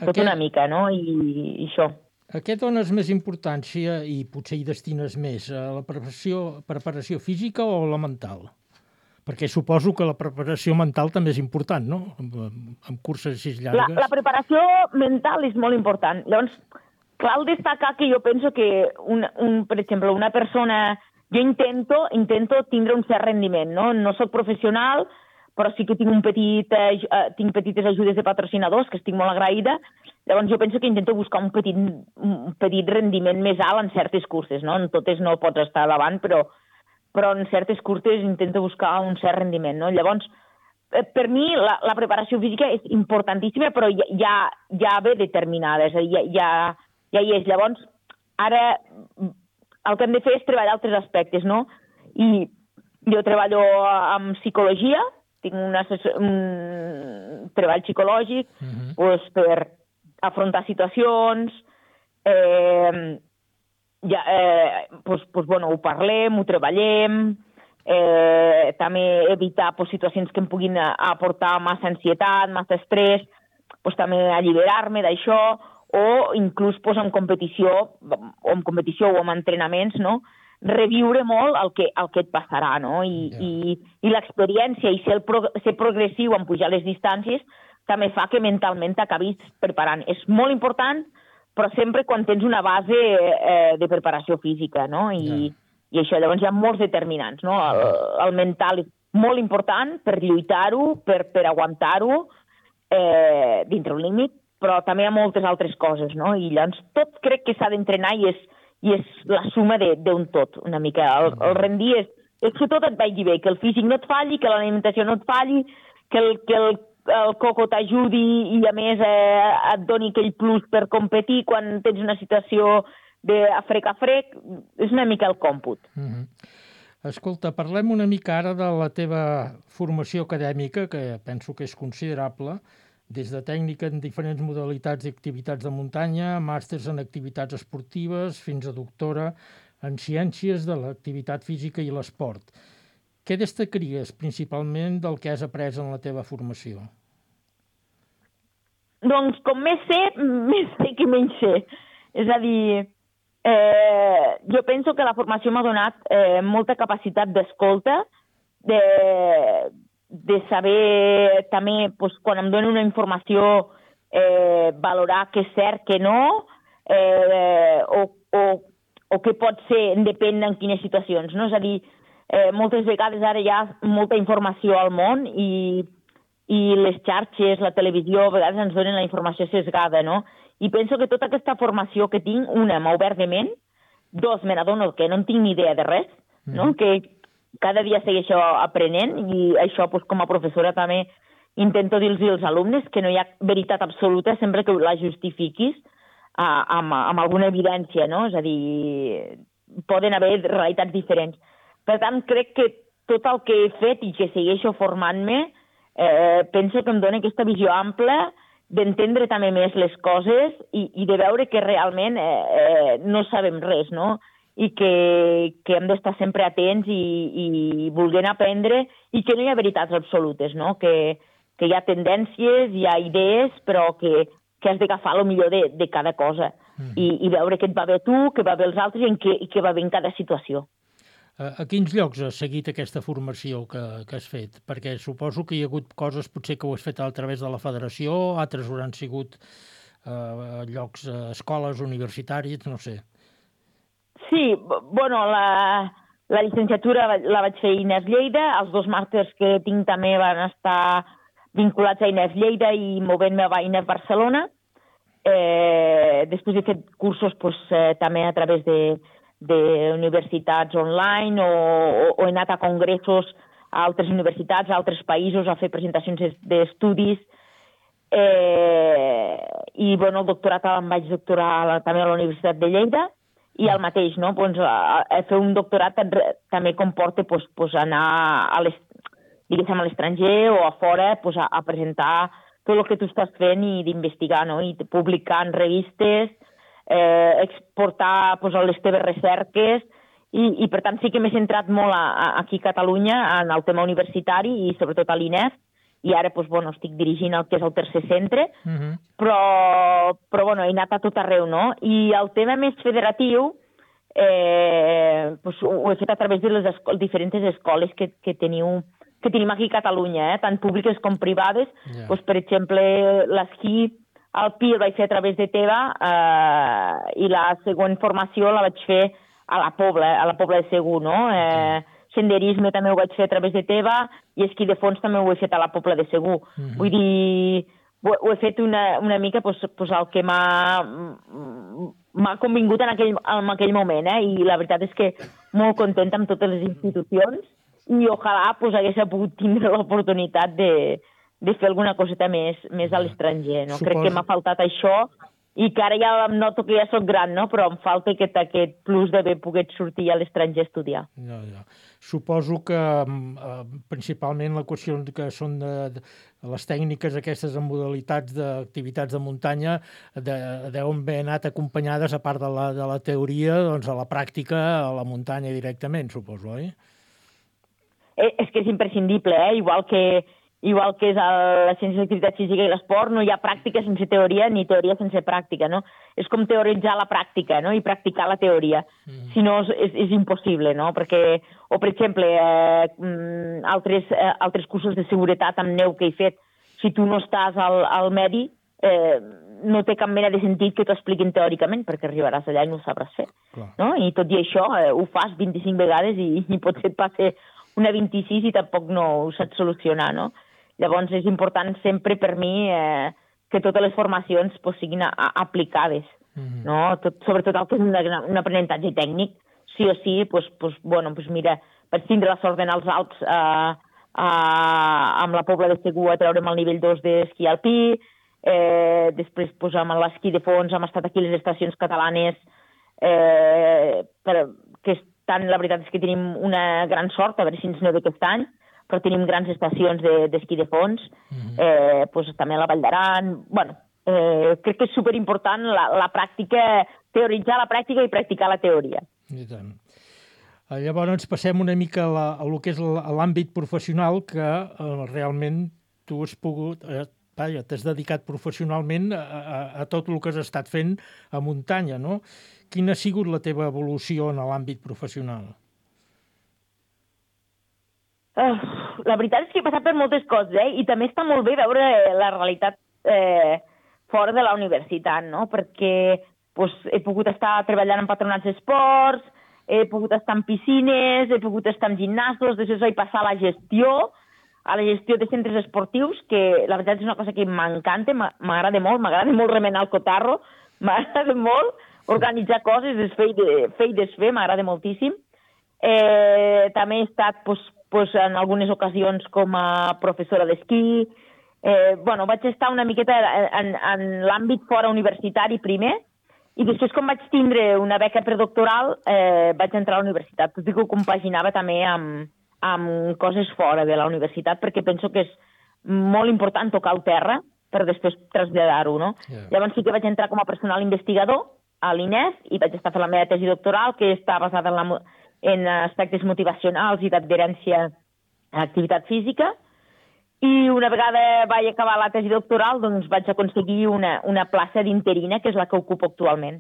Tot una mica, no? I això. A què dones més importància i potser hi destines més? A la preparació física o la mental? Perquè suposo que la preparació mental també és important, no? Amb curses així llargues. La preparació mental és molt important. Llavors, cal destacar que jo penso que, per exemple, una persona... Jo intento tindre un cert rendiment, no? No soc professional, però sí que tinc petites ajudes de patrocinadors, que estic molt agraïda. Llavors jo penso que intento buscar un petit rendiment més alt en certes curses, no? En totes no pots estar davant, però en certes curses intento buscar un cert rendiment, no? Llavors, per mi la preparació física és importantíssima, però ja ve determinada, és a dir, ja hi és. Llavors, ara el que hem de fer és treballar altres aspectes, no? I jo treballo amb psicologia, tinc un treball psicològic per afrontar situacions, ho parlem, ho treballem, també evitar situacions que em puguin aportar massa ansietat, massa estrès, també alliberar-me d'això, o inclús en competició o en entrenaments, no? Reviure molt el que et passarà, no? I l'experiència i ser progressiu en pujar les distàncies també fa que mentalment t'acabis preparant. És molt important, però sempre quan tens una base de preparació física, no? I això, llavors hi ha molts determinants, no? El mental és molt important per lluitar-ho, per aguantar-ho dintre un límit, però també hi ha moltes altres coses, no? I llavors tot crec que s'ha d'entrenar i és la suma d'un tot, una mica. El rendir és que tot et vagi bé, que el físic no et falli, que l'alimentació no et falli, que el coco t'ajudi i a més et doni aquell plus per competir quan tens una situació de frec a frec, és una mica el còmput. Escolta, parlem una mica ara de la teva formació acadèmica, que penso que és considerable, des de tècnica en diferents modalitats i activitats de muntanya, màsters en activitats esportives, fins a doctora en ciències de l'activitat física i l'esport. Què destacaries principalment del que has après en la teva formació? Doncs com més sé que menys sé. És a dir, jo penso que la formació m'ha donat molta capacitat d'escolta, de saber també, quan em donen una informació, valorar què és cert, què no, o què pot ser, depèn en quines situacions, no? És a dir, moltes vegades ara hi ha molta informació al món i les xarxes, la televisió, a vegades ens donen la informació sesgada, no? I penso que tota aquesta formació que tinc, una, m'ha obert de ment, dos, me n'adono que no en tinc ni idea de res, no? Que cada dia segueixo aprenent i això, com a professora, també intento dir-los als alumnes que no hi ha veritat absoluta sempre que la justifiquis amb alguna evidència, no? És a dir, poden haver realitats diferents. Per tant, crec que tot el que he fet i que segueixo formant-me, penso que em dona aquesta visió ampla d'entendre també més les coses i de veure que realment no sabem res, no? I que hem d'estar sempre atents i volent aprendre i que no hi ha veritats absolutes, no? Que hi ha tendències, hi ha idees, però que has d'agafar el millor de cada cosa i veure què et va bé a tu, què va bé als altres i què va bé en cada situació. A quins llocs has seguit aquesta formació que has fet? Perquè suposo que hi ha hagut coses potser que ho has fet a través de la federació, altres hauran sigut llocs, escoles universitàries, no sé. Sí, bueno, la llicenciatura la vaig fer a INEF Lleida, els dos màsters que tinc també van estar vinculats a INEF Lleida i movent-me a INEF Barcelona. Després he fet cursos també a través d'universitats online o he anat a congressos a altres universitats, a altres països, a fer presentacions d'estudis. I, bueno, el doctorat em vaig doctorar també a la Universitat de Lleida i el mateix, no? Fer un doctorat també comporta anar a l'estranger o a fora a presentar tot el que tu estàs fent i d'investigar, no? I publicar en revistes, exportar les teves recerques i per tant sí que m'he centrat molt aquí a Catalunya en el tema universitari i sobretot a l'INEF i ara estic dirigint el que és el tercer centre, però he anat a tot arreu, no? I el tema més federatiu ho he fet a través de les diferents escoles que tenim aquí a Catalunya, tant públiques com privades. Per exemple, l'esquí alpí el vaig fer a través de Teva i la següent formació la vaig fer a la Pobla de Segur, no? Senderisme també ho vaig fer a través de Teva i esquí de fons també ho he fet a la Pobla de Segur. Vull dir, ho he fet una mica el que m'ha convingut en aquell moment, i la veritat és que molt contenta amb totes les institucions i ojalà hagués pogut tindre l'oportunitat de fer alguna coseta més a l'estranger, no? Crec que m'ha faltat això i que ara ja em noto que ja soc gran, no? Però em falta aquest plus d'haver pogut sortir a l'estranger a estudiar. Suposo que principalment la qüestió que són de les tècniques aquestes en modalitats d'activitats de muntanya deuen haver anat acompanyades, a part de la teoria, doncs a la pràctica, a la muntanya directament, suposo, oi? És que és imprescindible, igual que és la ciència d'activitat física i l'esport, no hi ha pràctica sense teoria ni teoria sense pràctica, no? És com teoritzar la pràctica, no? I practicar la teoria. Si no, és impossible, no? Perquè, o per exemple, altres cursos de seguretat amb neu que he fet, si tu no estàs al medi, no té cap mena de sentit que t'ho expliquin teòricament, perquè arribaràs allà i no ho sabràs fer, no? I tot i això, ho fas 25 vegades i potser et passa una 26 i tampoc no ho saps solucionar, no? Llavors és important sempre per mi que totes les formacions siguin aplicades, no? Sobretot el que és un aprenentatge tècnic, sí o sí, mira, vaig tindre la sort d'anar als Alps amb la Pobla de Segur a treure'm el nivell 2 d'esquí alpí, després amb l'esquí de fons hem estat aquí a les estacions catalanes que tant la veritat és que tenim una gran sort, a veure si ens neu aquest any, però tenim grans estacions d'esquí de fons, també a la Vall d'Aran. Bueno, crec que és superimportant la pràctica, teoritzar la pràctica i practicar la teoria. I tant. Llavors passem una mica a lo que és l'àmbit professional, que realment tu has pogut, t'has dedicat professionalment a tot el que has estat fent a muntanya, no? Quina ha sigut la teva evolució en l'àmbit professional? La veritat és que he passat per moltes coses, i també està molt bé veure la realitat fora de la universitat, no? Perquè he pogut estar treballant en patronats d'esports, he pogut estar en piscines, he pogut estar en gimnasos, després vaig passar a la gestió de centres esportius, que la veritat és una cosa que m'encanta, m'agrada molt remenar el cotarro, m'agrada molt organitzar coses, fer i desfer, m'agrada moltíssim. També he estat en algunes ocasions com a professora d'esquí. Vaig estar una miqueta en l'àmbit fora universitari primer, i després, quan vaig tindre una beca predoctoral, vaig entrar a la universitat. Tot i que ho compaginava també amb coses fora de la universitat, perquè penso que és molt important tocar el terra per després traslladar-ho, no? Llavors sí que vaig entrar com a personal investigador a l'INEF i vaig estar fent la meva tesi doctoral, que està basada en aspectes motivacionals i d'adherència a l'activitat física. I una vegada vaig acabar la tesi doctoral, doncs vaig aconseguir una plaça d'interina, que és la que ocupo actualment,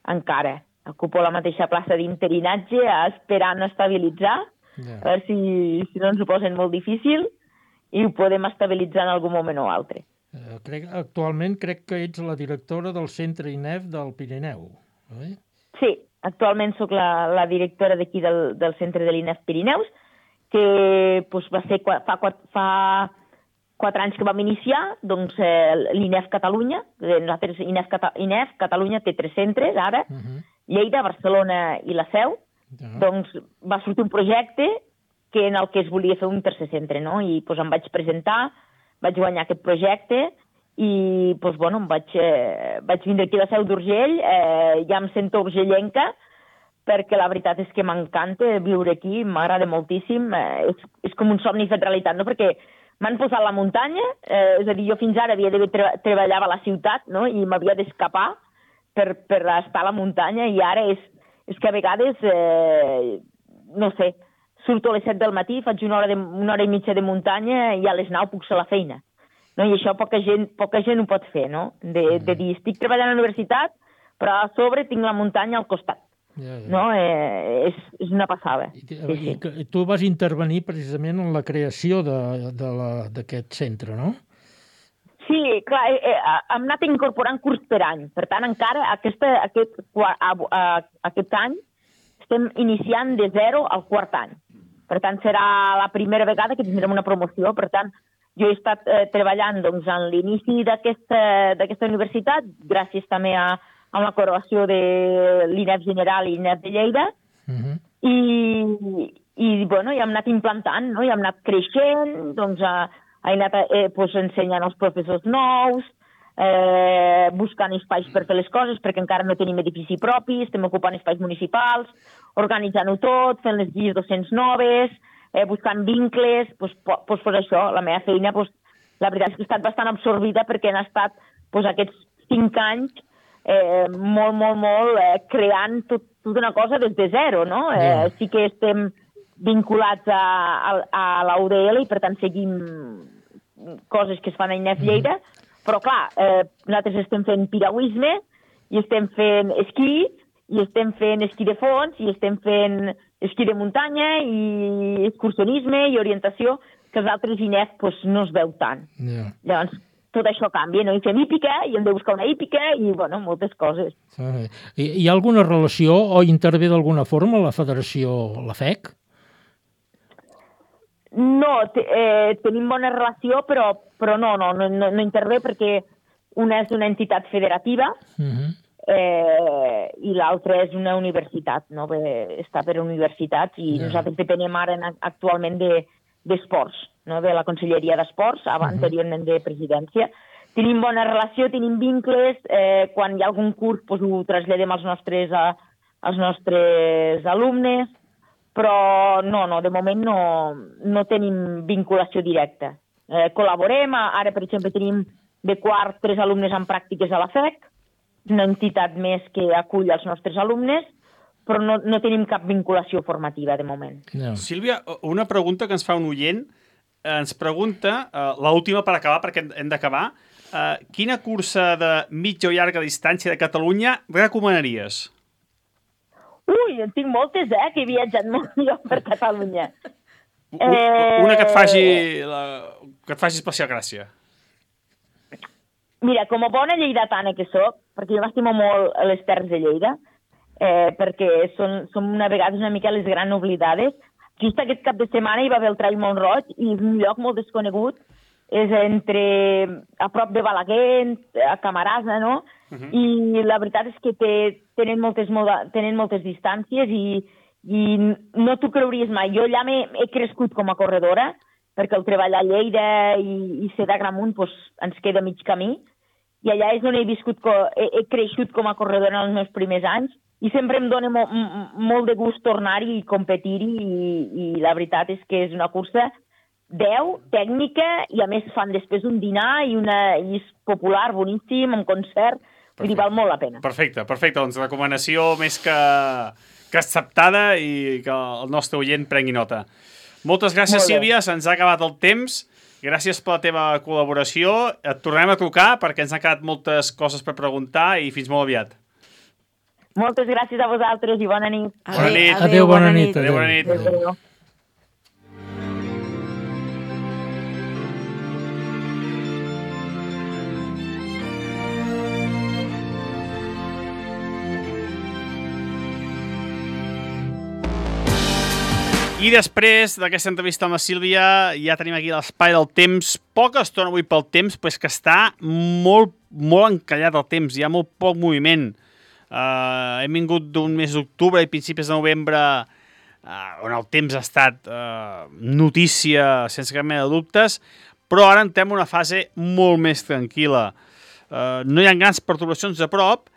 encara. Ocupo la mateixa plaça d'interinatge, esperant estabilitzar, a veure si no ens ho posen molt difícil i ho podem estabilitzar en algun moment o altre. Actualment crec que ets la directora del Centre INEF del Pirineu, oi? Sí, actualment sóc la directora d'aquí del Centre de l'INEF Pirineus, que va ser fa 4 anys que vam iniciar, doncs l'INEF Catalunya, nosaltres INEF Catalunya té 3 centres ara, Lleida, Barcelona i la Seu, doncs va sortir un projecte en el que es volia fer un tercer centre, no? I em vaig presentar, vaig guanyar aquest projecte i vaig vindre aquí a la Seu d'Urgell, ja em sento urgellenca, perquè la veritat és que m'encanta viure aquí, m'agrada moltíssim, és com un somni fet realitat, no? Perquè m'han posat a la muntanya, és a dir, jo fins ara treballava a la ciutat, no? I m'havia d'escapar per estar a la muntanya, i ara és que a vegades, no sé, surto a les 7 del matí, faig una hora i mitja de muntanya i a les 9 puc ser a la feina. No? I això poca gent ho pot fer, no? De dir, estic treballant a la universitat, però a sobre tinc la muntanya al costat. No? És una passada. I tu vas intervenir precisament en la creació d'aquest centre, no? Sí, clar, hem anat incorporant curs per any. Per tant, encara aquest any estem iniciant de 0 al quart any. Per tant, serà la primera vegada que tindrem una promoció. Per tant, jo he estat treballant en l'inici d'aquesta universitat, gràcies també a la col·laboració de l'INEF General i l'INEF de Lleida, i hem anat implantant, no? I hem anat creixent, he anat ensenyant els professors nous, buscant espais per fer les coses, perquè encara no tenim edifici propi, estem ocupant espais municipals, organitzant-ho tot, fent les guies docents noves, buscant vincles, això, la meva feina, la veritat és que he estat bastant absorbida perquè han estat aquests 5 anys molt creant tota una cosa des de zero, no? Sí que estem vinculats a la UDL i per tant seguim coses que es fan a INEF Lleida, però clar, nosaltres estem fent piragüisme i estem fent esquí i estem fent esquí de fons i estem fent esquí de muntanya i excursionisme i orientació, que els altres INEF no es veu tant. Llavors, tot això canvia, no? I fem hípica, i hem de buscar una hípica, i, moltes coses. Hi ha alguna relació o intervé d'alguna forma la federació, la FEC? No, tenim bona relació, però no intervé perquè una és una entitat federativa i l'altra és una universitat, no? Està per universitats i nosaltres depenem ara actualment d'esports, no? De la Conselleria d'Esports, anteriorment de Presidència. Tenim bona relació, tenim vincles, quan hi ha algun curs ho traslladem als nostres alumnes, però no, de moment no tenim vinculació directa. Col·laborem, ara per exemple tenim de quart 3 alumnes en pràctiques a la FEC, una entitat més que acull els nostres alumnes, però no tenim cap vinculació formativa de moment. No. Sílvia, una pregunta que ens fa un oient, ens pregunta, l'última per acabar, perquè hem d'acabar, quina cursa de mitja o llarga distància de Catalunya recomanaries? Ui, en tinc moltes, que he viatjat molt jo per Catalunya. Una que et faci especial gràcia. Mira, com a bona lleidatana que soc, perquè jo m'estimo molt les Terres de Lleida, perquè som a vegades una mica les grans oblidades. Just aquest cap de setmana hi va haver el Trail Mont-roig i és un lloc molt desconegut, és a prop de Balaguer, a Camarasa, no? I la veritat és que tenen moltes distàncies i no t'ho creuries mai. Jo allà he crescut com a corredora, perquè el treballar a Lleida i ser d'Agramunt ens queda mig camí, i allà és on he creixut com a corredora en els meus primers anys, i sempre em dona molt de gust tornar-hi i competir-hi, i la veritat és que és una cursa 10, tècnica, i a més fan després un dinar i és popular, boníssim, amb concert, vull dir, val molt la pena. Perfecte, doncs recomanació més que acceptada i que el nostre oient prengui nota. Moltes gràcies, Sílvia, se'ns ha acabat el temps, gràcies per la teva col·laboració, et tornem a trucar perquè ens han quedat moltes coses per preguntar i fins molt aviat. Moltes gràcies a vosaltres i bona nit. Bona nit. Adéu, bona nit. Adéu, bona nit. Adéu. I després d'aquesta entrevista amb la Sílvia ja tenim aquí l'espai del temps. Poca estona avui pel temps, però és que està molt encallat el temps, hi ha molt poc moviment. Hem vingut d'un mes d'octubre i principis de novembre on el temps ha estat notícia sense cap mena de dubtes, però ara entrem en una fase molt més tranquil·la. No hi ha grans perturbacions a prop,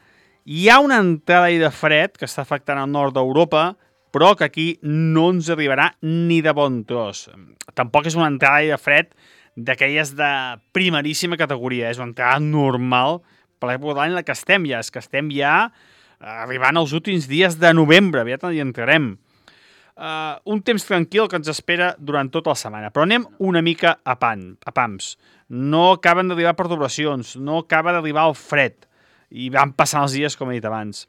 hi ha una entrada de fred que està afectant el nord d'Europa, però que aquí no ens arribarà ni de bon tros. Tampoc és una entrada de fred d'aquelles de primeríssima categoria, és una entrada normal per l'època de l'any en la que estem ja. És que estem ja arribant als últims dies de novembre, aviat hi entrarem. Un temps tranquil que ens espera durant tota la setmana, però anem una mica a pams. No acaben d'arribar perturbacions, no acaba d'arribar el fred, i van passant els dies, com he dit abans.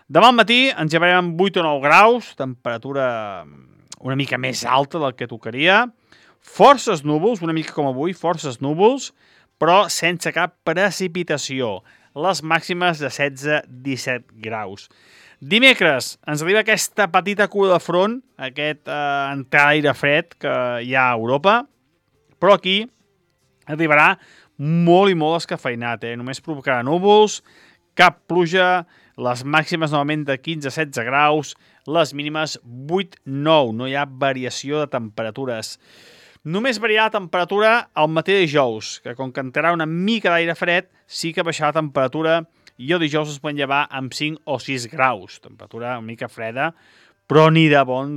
Demà al matí ens llevarem amb 8 o 9 graus, temperatura una mica més alta del que tocaria, forces núvols, una mica com avui, forces núvols, però sense cap precipitació. Les màximes de 16-17 graus. Dimecres ens arriba aquesta petita cua de front, aquest entrada d'aire fred que hi ha a Europa, però aquí arribarà molt i molt escafeinat. Només provocarà núvols, cap pluja, les màximes novament de 15-16 graus, les mínimes 8-9, no hi ha variació de temperatures. Només variarà la temperatura al matí de dijous, que com que entrarà una mica d'aire fred, sí que baixarà la temperatura i el dijous es poden llevar amb 5 o 6 graus. Temperatura una mica freda, però ni de bon